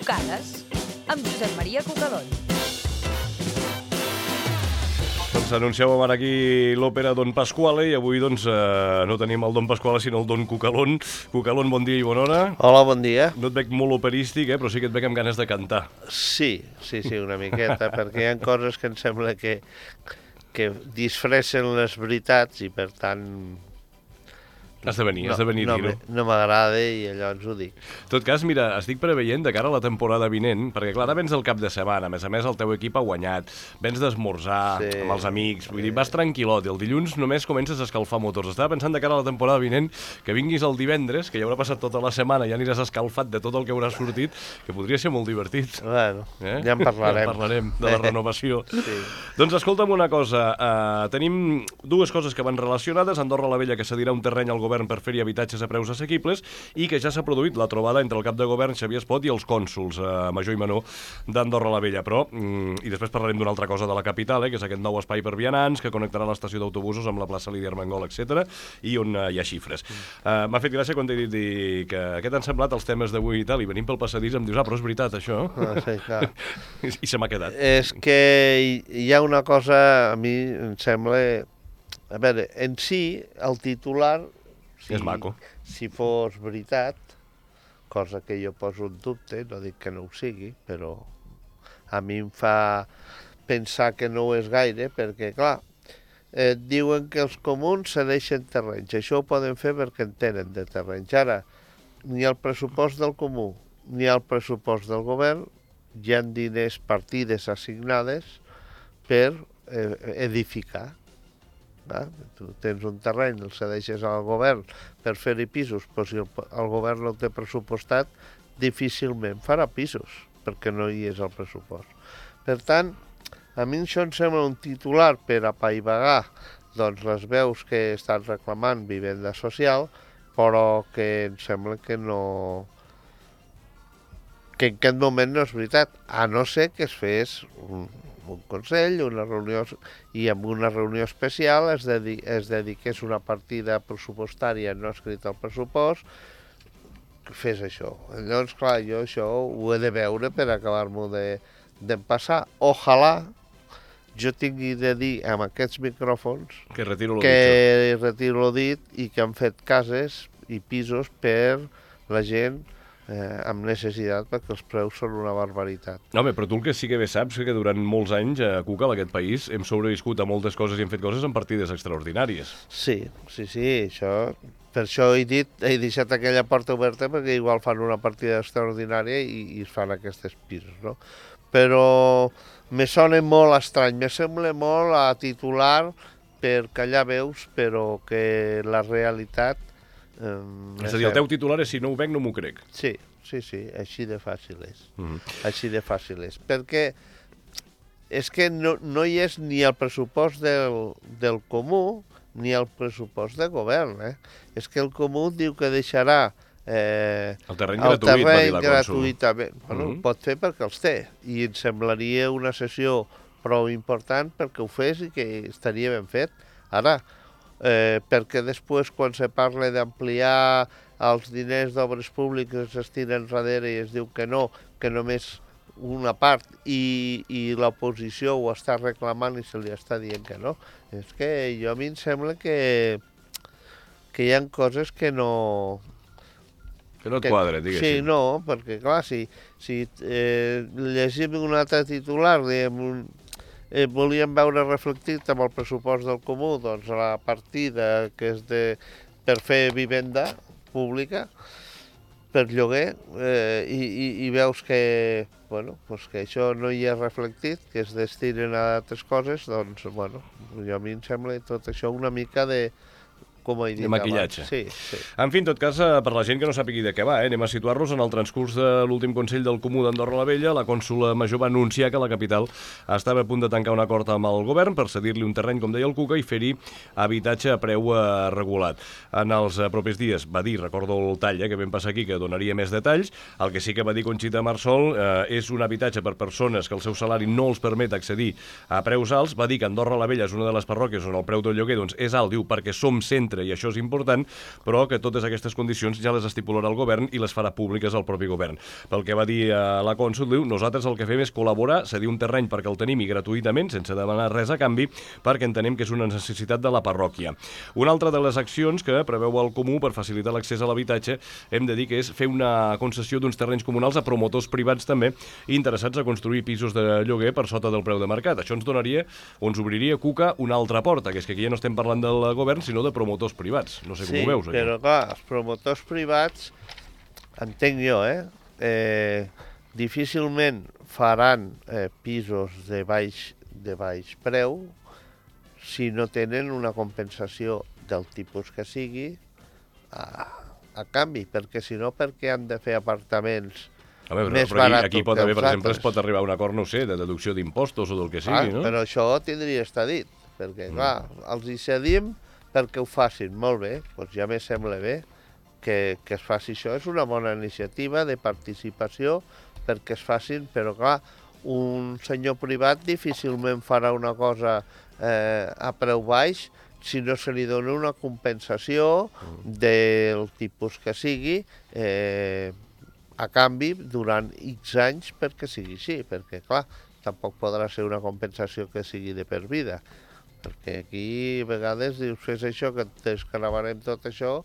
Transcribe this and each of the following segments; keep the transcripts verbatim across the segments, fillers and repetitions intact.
Trucades amb Josep Maria Cucalón. Doncs anunciàvem ara aquí l'òpera Don Pasquale i avui doncs eh, no tenim el Don Pasquale sinó el Don Cucalón. Cucalón, bon dia i bona hora. Hola, bon dia. No et veig molt operístic, eh, però sí que et veig amb ganes de cantar. Sí, sí, sí, una miqueta, perquè hi ha coses que em sembla que, que disfressen les veritats i per tant... Has de venir, no, has de venir a no, dir-ho. No m'agrada i llavors ho dic. En tot cas, mira, estic preveient de cara a la temporada vinent, perquè clar, ara vens del cap de setmana, a més a més el teu equip ha guanyat, vens d'esmorzar Sí. amb els amics, vull dir, vas tranquil·lot, i el dilluns només comences a escalfar motors. Estava pensant de cara a la temporada vinent que vinguis el divendres, que ja haurà passat tota la setmana, ja aniràs escalfat de tot el que hauràs sortit, que podria ser molt divertit. Bueno, Eh? ja en parlarem. Ja en parlarem, de la renovació. Sí. Doncs escolta'm una cosa, uh, tenim dues coses que van relacionades. Andorra la Vella, que cedirà un terreny al govern per fer-hi habitatges a preus assequibles, i que ja s'ha produït la trobada entre el cap de govern Xavier Espot i els cònsols uh, Major i Menor d'Andorra la Vella. Però, mm, i després parlarem d'una altra cosa de la capital, eh, que és aquest nou espai per vianants, que connectarà l'estació d'autobusos amb la plaça Lídia Armengol, etcètera, i on uh, hi ha xifres. Uh, M'ha fet gràcia quan t'he dit dir que què t'han semblat els temes d'avui i tal, i venim pel passadís em dius, ah, però és veritat, això. Ah, sí, clar. I, I se m'ha quedat. És que hi ha una cosa, a mi em sembla... A veure, en si, el titular... Si, És maco. Si fos veritat, cosa que jo poso en dubte, no dic que no ho sigui, però a mi em fa pensar que no ho és gaire, perquè, clar, eh, diuen que els comuns cedeixen terrenys. Això ho poden fer perquè en tenen de terrenys. Ara, ni el pressupost del comú ni el pressupost del govern hi ha diners, partides assignades per eh, edificar. Va? Tu tens un terreny, el cedeixes al govern per fer-hi pisos, però si el, el govern no el té pressupostat, difícilment farà pisos, perquè no hi és el pressupost. Per tant, a mi això em sembla un titular per apaivagar doncs, les veus que estan reclamant vivenda social, però que em sembla que no... que en aquest moment no és veritat, a no ser que es fes un, un consell, una reunió, i en una reunió especial es, dedi es dediqués una partida pressupostària no escrita al pressupost, fes això. Llavors, clar, jo això ho he de veure per acabar-m'ho d'empassar. Ojalà jo tingui de dir amb aquests micròfons Que retiro lo que dicho. retiro el dit i que han fet cases i pisos per la gent eh, amb necessitat, perquè els preus són una barbaritat. No, home, però tu el que sí que bé saps que durant molts anys a Cuca, a aquest país, hem sobreviscut a moltes coses i hem fet coses en partides extraordinàries. Sí, sí, sí, això... Per això he dit, he deixat aquella porta oberta perquè igual fan una partida extraordinària i, i es fan aquests pisos, no? Però me sona molt estrany, me sembla molt a titular per callar veus, però que la realitat... Eh, És a dir, el teu titular és si no ho veig no m'ho crec. Sí, sí, sí, així de fàcil és. Mm-hmm. Així de fàcil és. Perquè és que no, no hi és ni el pressupost del, del comú ni el pressupost de govern. Eh? És que el comú diu que deixarà eh, El terreny el gratuït, va dir terreny la cònsol. gratuïtament. Bueno, Mm-hmm. ho pot fer perquè els té. I em semblaria una sessió prou important perquè ho fes i que estaria ben fet. Ara, eh, perquè després quan se parla d'ampliar els diners d'obres públiques es tiren darrere i es diu que no, que només una part i, i l'oposició ho està reclamant i se li està dient que no. És que jo a mi em sembla que, que hi ha coses que no... Que no et que, quadra, diguéssim. Sí, no, perquè clar, si, si eh, llegim un altre titular, diguem, un, eh, volíem veure reflectit amb el pressupost del comú doncs la partida que és de, per fer vivenda pública per lloguer eh, i, i, i veus que, bueno, pues que això no hi és reflectit, que es destinen a altres coses, doncs, bueno, jo a mi em sembla tot això una mica de, com he dit de maquillatge. abans. Sí, sí. En fi, en tot cas, per la gent que no sàpigui de què va, eh, anem a situar-los en el transcurs de l'últim Consell del Comú d'Andorra la Vella. La cònsula Major va anunciar que la capital estava a punt de tancar un acord amb el govern per cedir-li un terreny, com deia el Cuca, i fer-hi habitatge a preu eh, regulat. En els eh, propers dies va dir, recordo el tall eh, que vam passar aquí, que donaria més detalls. El que sí que va dir Conxita Marsol eh, és un habitatge per persones que el seu salari no els permet accedir a preus alts. Va dir que Andorra la Vella és una de les parròquies on el preu del lloguer doncs, és alt, diu, perquè som centre etcètera. I això és important, però que totes aquestes condicions ja les estipularà el govern i les farà públiques al propi govern. Pel que va dir a la cònsol, diu, nosaltres el que fem és col·laborar, cedir un terreny perquè el tenim i gratuïtament, sense demanar res a canvi, perquè entenem que és una necessitat de la parròquia. Una altra de les accions que preveu el Comú per facilitar l'accés a l'habitatge, hem de dir que és fer una concessió d'uns terrenys comunals a promotors privats també interessats a construir pisos de lloguer per sota del preu de mercat. Això ens donaria, o ens obriria, Cuca, una altra porta, que és que aquí ja no estem parlant del govern, sinó de promotors privats. No sé com sí, ho veus, això. Sí, però clar, els promotors privats, entenc jo, eh, eh difícilment faran eh, pisos de baix, de baix preu si no tenen una compensació del tipus que sigui a, a canvi, perquè si no, perquè han de fer apartaments a veure, més però aquí, baratos aquí pot que haver, els per exemple, altres. es pot arribar a un acord, no sé, de deducció d'impostos o del que sigui, ah, no? Però això tindria estar dit, perquè, mm. clar, els hi cedim perquè ho facin molt bé, doncs ja me sembla bé que, que es faci això. És una bona iniciativa de participació perquè es facin, però clar, un senyor privat difícilment farà una cosa eh, a preu baix si no se li dona una compensació mm. del tipus que sigui eh, a canvi durant X anys perquè sigui així, perquè clar, tampoc podrà ser una compensació que sigui de per vida, perquè aquí a vegades dius fes això, que et desgravarem tot això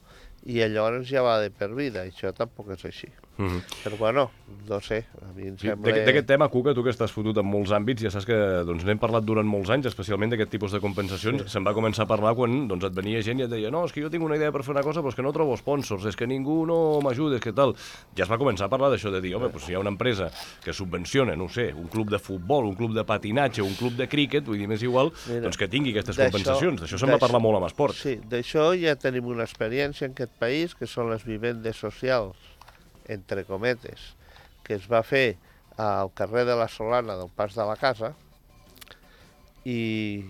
i llavors ja va de per vida, i això tampoc és així. Mm-hmm. Però bueno, no sé, a mi em sí, sembla... D'aquest tema, Cuca, tu que estàs fotut en molts àmbits, ja saps que doncs, n'hem parlat durant molts anys, especialment d'aquest tipus de compensacions. Sí. Se'n va començar a parlar quan doncs, et venia gent i et deia no, és que jo tinc una idea per fer una cosa, però és que no trobo sponsors, és que ningú no m'ajuda, és que tal. Ja es va començar a parlar d'això, de dir, home, doncs, si hi ha una empresa que subvenciona, no sé, un club de futbol, un club de patinatge, un club de críquet, vull dir, m'és igual, Mira, doncs que tingui aquestes compensacions. D'això se'n va parlar molt amb esport. Sí, d'això ja tenim una experiència en aquest país, que són les vivendes socials, entre cometes, que es va fer al carrer de la Solana del Pas de la Casa i,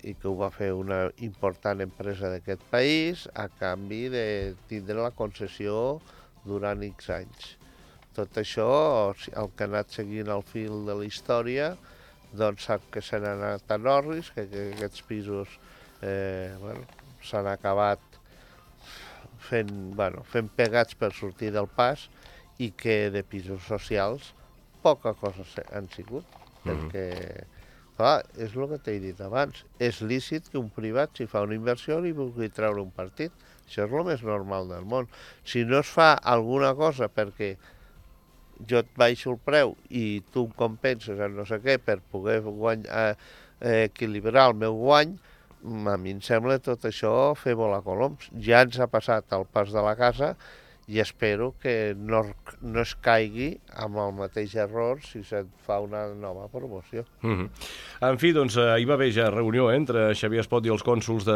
i que ho va fer una important empresa d'aquest país a canvi de tindre la concessió durant X anys. Tot això, el que ha anat seguint el fil de la història, doncs sap que se n'ha anat a Norris, que, que aquests pisos eh, bueno, s'han acabat fent, bueno, fent pegats per sortir del pas i que de pisos socials poca cosa han sigut, mm-hmm. perquè, clar, és el que t'he dit abans, és lícit que un privat, si fa una inversió, li vulgui treure un partit. Això és el més normal del món. Si no es fa alguna cosa perquè jo et baixo el preu i tu em compenses en no sé què per poder guany, eh, eh, equilibrar el meu guany, a mi em sembla tot això fer volar coloms. Ja ens ha passat al Pas de la Casa i espero que no, no es caigui amb el mateix error si se't fa una nova promoció. Mm-hmm. En fi, doncs, hi va haver ja reunió eh, entre Xavier Espot i els cònsols de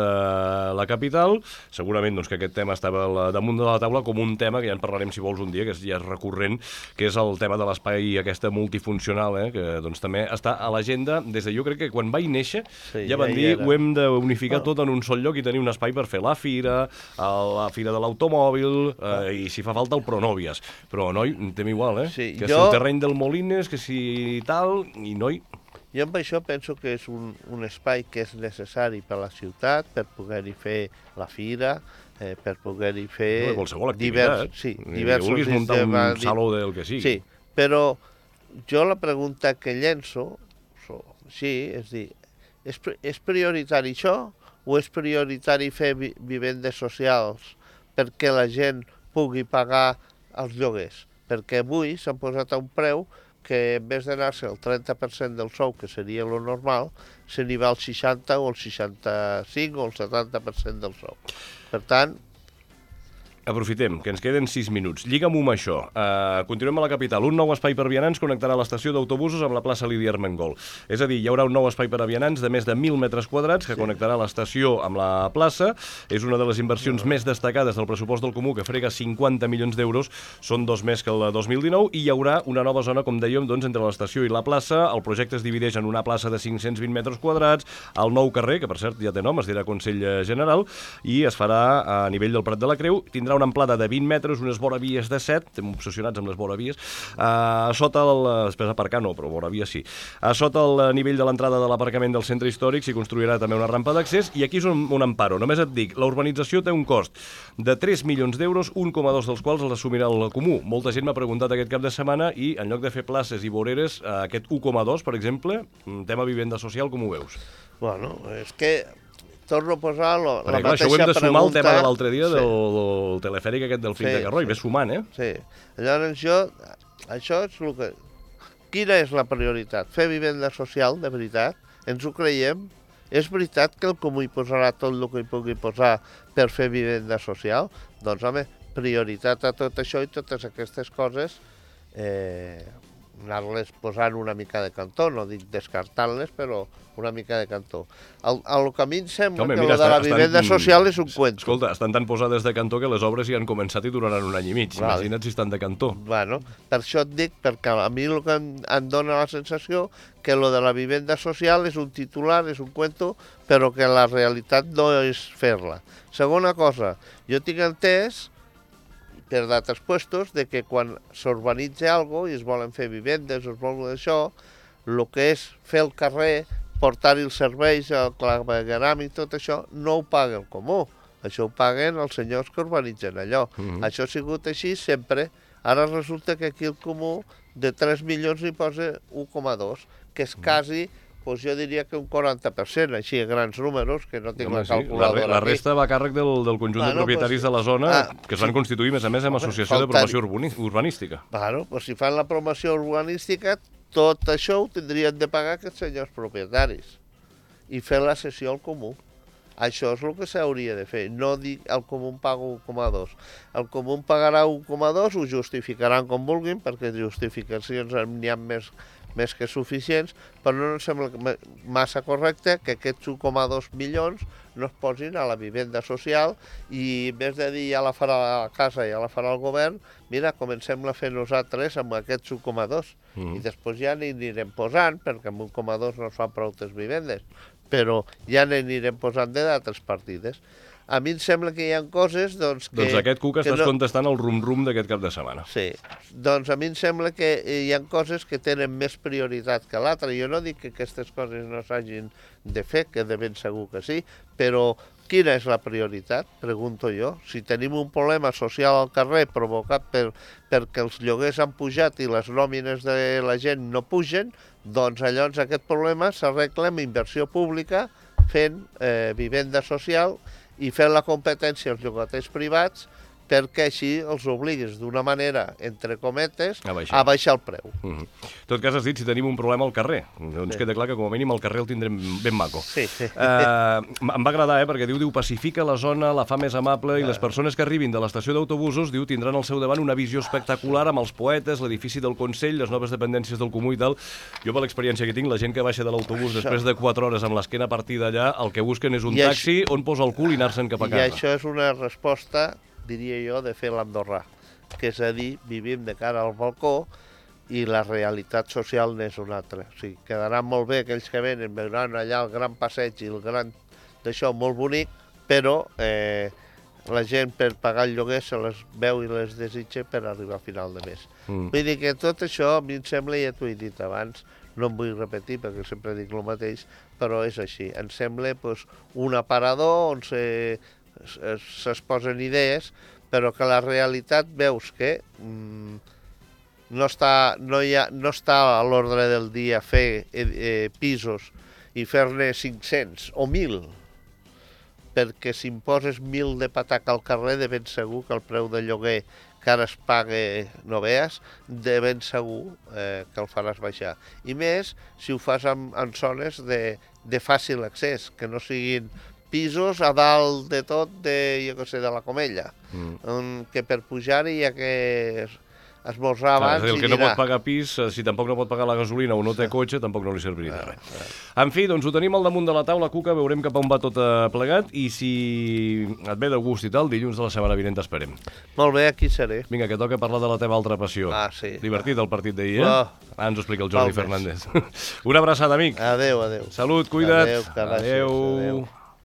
la capital. Segurament doncs, que aquest tema estava damunt de la taula com un tema, que ja en parlarem si vols un dia, que ja és recurrent, que és el tema de l'espai aquesta multifuncional, eh, que doncs, també està a l'agenda des de, jo crec que quan vaig néixer, sí, ja van ja dir, ho hem d'unificar bueno. tot en un sol lloc i tenir un espai per fer la fira, la fira de l'automòbil, eh, i si fa falta el Pronòvies. Però, noi, tem igual, eh? Sí, que jo... si el terreny del Molines, que si tal, i noi... Jo amb això penso que és un, un espai que és necessari per a la ciutat, per poder-hi fer la fira, eh, per poder-hi fer... No, qualsevol activitat. Divers, sí, diversos... Que vulguis muntar un de... saló del que sigui. Sí, però jo la pregunta que llenço, sí, és dir, és, és prioritari això o és prioritari fer vi vivendes socials perquè la gent pugui pagar els lloguers? Perquè avui s'han posat a un preu que en vez d'anar-se el trenta per cent del sou, que seria lo normal, se n'hi va al seixanta o el seixanta-cinc o el setanta per cent del sou. Per tant... Aprofitem, que ens queden sis minuts. Lliga'm-ho amb això. Uh, continuem a la capital. Un nou espai per vianants connectarà l'estació d'autobusos amb la plaça Lídia Armengol. És a dir, hi haurà un nou espai per a vianants de més de mil metres quadrats que sí. connectarà l'estació amb la plaça. És una de les inversions no. més destacades del pressupost del Comú, que frega cinquanta milions d'euros. Són dos més que el dos mil dinou. I hi haurà una nova zona, com dèiem, doncs, entre l'estació i la plaça. El projecte es divideix en una plaça de cinc-cents vint metres quadrats, el nou carrer, que per cert ja té nom, es dirà Consell General, i es farà a nivell del Prat de la Creu. Tindrà tindrà una amplada de vint metres, unes voravies de set, estem obsessionats amb les voravies, a sota el... després aparcar no, però voravies sí. A sota el nivell de l'entrada de l'aparcament del centre històric s'hi construirà també una rampa d'accés, i aquí és un, un amparo. Només et dic, la urbanització té un cost de tres milions d'euros, un coma dos dels quals l'assumirà el Comú. Molta gent m'ha preguntat aquest cap de setmana i en lloc de fer places i voreres, aquest un coma dos, per exemple, tema vivenda social, com ho veus? Bueno, és que torno a posar lo, Perquè, la clar, mateixa això ho hem de sumar pregunta... al tema de l'altre dia sí. del, del telefèric aquest del Fill Sí, de Carroi. sí. Ves sumant, eh? Sí. Llavors jo... Això és el que... Quina és la prioritat? Fer vivenda social, de veritat? Ens ho creiem? És veritat que el Comú hi posarà tot el que hi pugui posar per fer vivenda social? Doncs, home, prioritat a tot això i totes aquestes coses, eh, anar-les posant una mica de cantó, no dic descartant-les, però una mica de cantó. El, el que a mi em sembla Home, que mira, lo de la estan- vivenda estan- social és un cuento. Escolta, estan tan posades de cantó que les obres ja han començat i duraran un any i mig. Vale. Imagina't si estan de cantó. Bueno, per això et dic, perquè a mi el que em, em dona la sensació que lo de la vivenda social és un titular, és un cuento, però que la realitat no és fer-la. Segona cosa, jo tinc entès, per d'altres puestos, de que quan s'urbanitza algo i es volen fer vivendes, es volen això, el que és fer el carrer, portar-hi els serveis, el clavegueram i tot això, no ho paga el Comú. Això ho paguen els senyors que urbanitzen allò. Mhm. Això ha sigut així sempre. Ara resulta que aquí el Comú de tres milions hi posa un coma dos, que és quasi, doncs jo diria que un quaranta per cent, així a grans números, que no tinc Home, la sí, la, calculadora re- la aquí. resta va a càrrec del, del conjunt de Bueno, propietaris pues, de la zona, ah, que es van sí. constituir, a més a més, amb Home, associació de faltar-hi. promoció urbani- urbanística. Bueno, doncs si fan la promoció urbanística, tot això ho tindrien de pagar aquests senyors propietaris i fer la cessió al Comú. Això és el que s'hauria de fer, no dir el Comú em paga un coma dos. El Comú em pagarà un coma dos, ho justificaran com vulguin, perquè justificacions n'hi ha més, més que suficients, però no em sembla que- massa correcte que aquests un coma dos milions no es posin a la vivenda social i en vez de dir ja la farà la casa, ja la farà el govern, mira, comencem a fer nosaltres amb aquests un coma dos. Mhm. I després ja n'hi anirem posant, perquè amb un coma dos no es fan prou vivendes, però ja n'anirem posant de d'altres partides. A mi em sembla que hi ha coses doncs, que... Doncs aquest cuc que estàs no- contestant el rum-rum d'aquest cap de setmana. Sí, doncs a mi em sembla que hi ha coses que tenen més prioritat que l'altra. Jo no dic que aquestes coses no s'hagin de fer, que de ben segur que sí, però quina és la prioritat? Pregunto jo. Si tenim un problema social al carrer provocat per, perquè els lloguers han pujat i les nòmines de la gent no pugen, doncs llavors aquest problema s'arregla amb inversió pública, fent eh, vivenda social i fent la competència als llogaters privats perquè així els obligues d'una manera, entre cometes, A baixar. a baixar el preu. Mhm. En tot cas, has dit si tenim un problema al carrer. Doncs Sí. queda clar que com a mínim al carrer el tindrem ben maco. Sí, sí. Uh, em va agradar, eh, perquè diu, diu, pacifica la zona, la fa més amable, i les persones que arribin de l'estació d'autobusos, diu, tindran al seu davant una visió espectacular amb els poetes, l'edifici del Consell, les noves dependències del Comú i tal. Jo, per l'experiència que tinc, la gent que baixa de l'autobús després de quatre hores amb l'esquena partida allà, el que busquen és un I això- taxi on posa el cul i anar-se'n cap a I casa. això és una resposta, diria jo, de fer l'andorrà, que és a dir, vivim de cara al balcó i la realitat social n'és una altra. O sigui, quedaran molt bé aquells que venen, veuran allà el gran passeig i el gran d'això molt bonic, però eh, la gent per pagar el lloguer se les veu i les desitja per arribar a final de mes. Mm. Vull dir que tot això a mi em sembla, ja t'ho he dit abans, no em vull repetir perquè sempre dic el mateix, però és així. Em sembla pues, un aparador on se, es posen idees, però que la realitat veus que mm, no, està, no, hi ha, no està a l'ordre del dia fer eh, eh, pisos i fer-ne cinc-cents o mil, perquè si em poses mil de pataca al carrer, de ben segur que el preu de lloguer que ara es paga, no veas, de ben segur eh, que el faràs baixar. I més si ho fas en, en zones de, de fàcil accés, que no siguin pisos a dalt de tot, de, jo què sé, de la Comella, Mm. on, que per pujar-hi hi ha que esmorzar Clar, abans és a dir, el i que no dinar. pot pagar pis, eh, si tampoc no pot pagar la gasolina o no té cotxe, tampoc no li servirà de res. En fi, doncs ho tenim al damunt de la taula, Cuca, veurem cap a on va tot eh, plegat, i si et ve de gust i tal, dilluns de la setmana vinent t'esperem. Molt bé, aquí seré. Vinga, que toca parlar de la teva altra passió. Ah, sí. Divertit el partit d'ahir, eh? Oh. Ara ens ho explica el Jordi Val més. Fernández. Una abraçada, amic. Adéu, adéu. Salut, cuida't. Adéu, que gràcies, Adéu. adéu.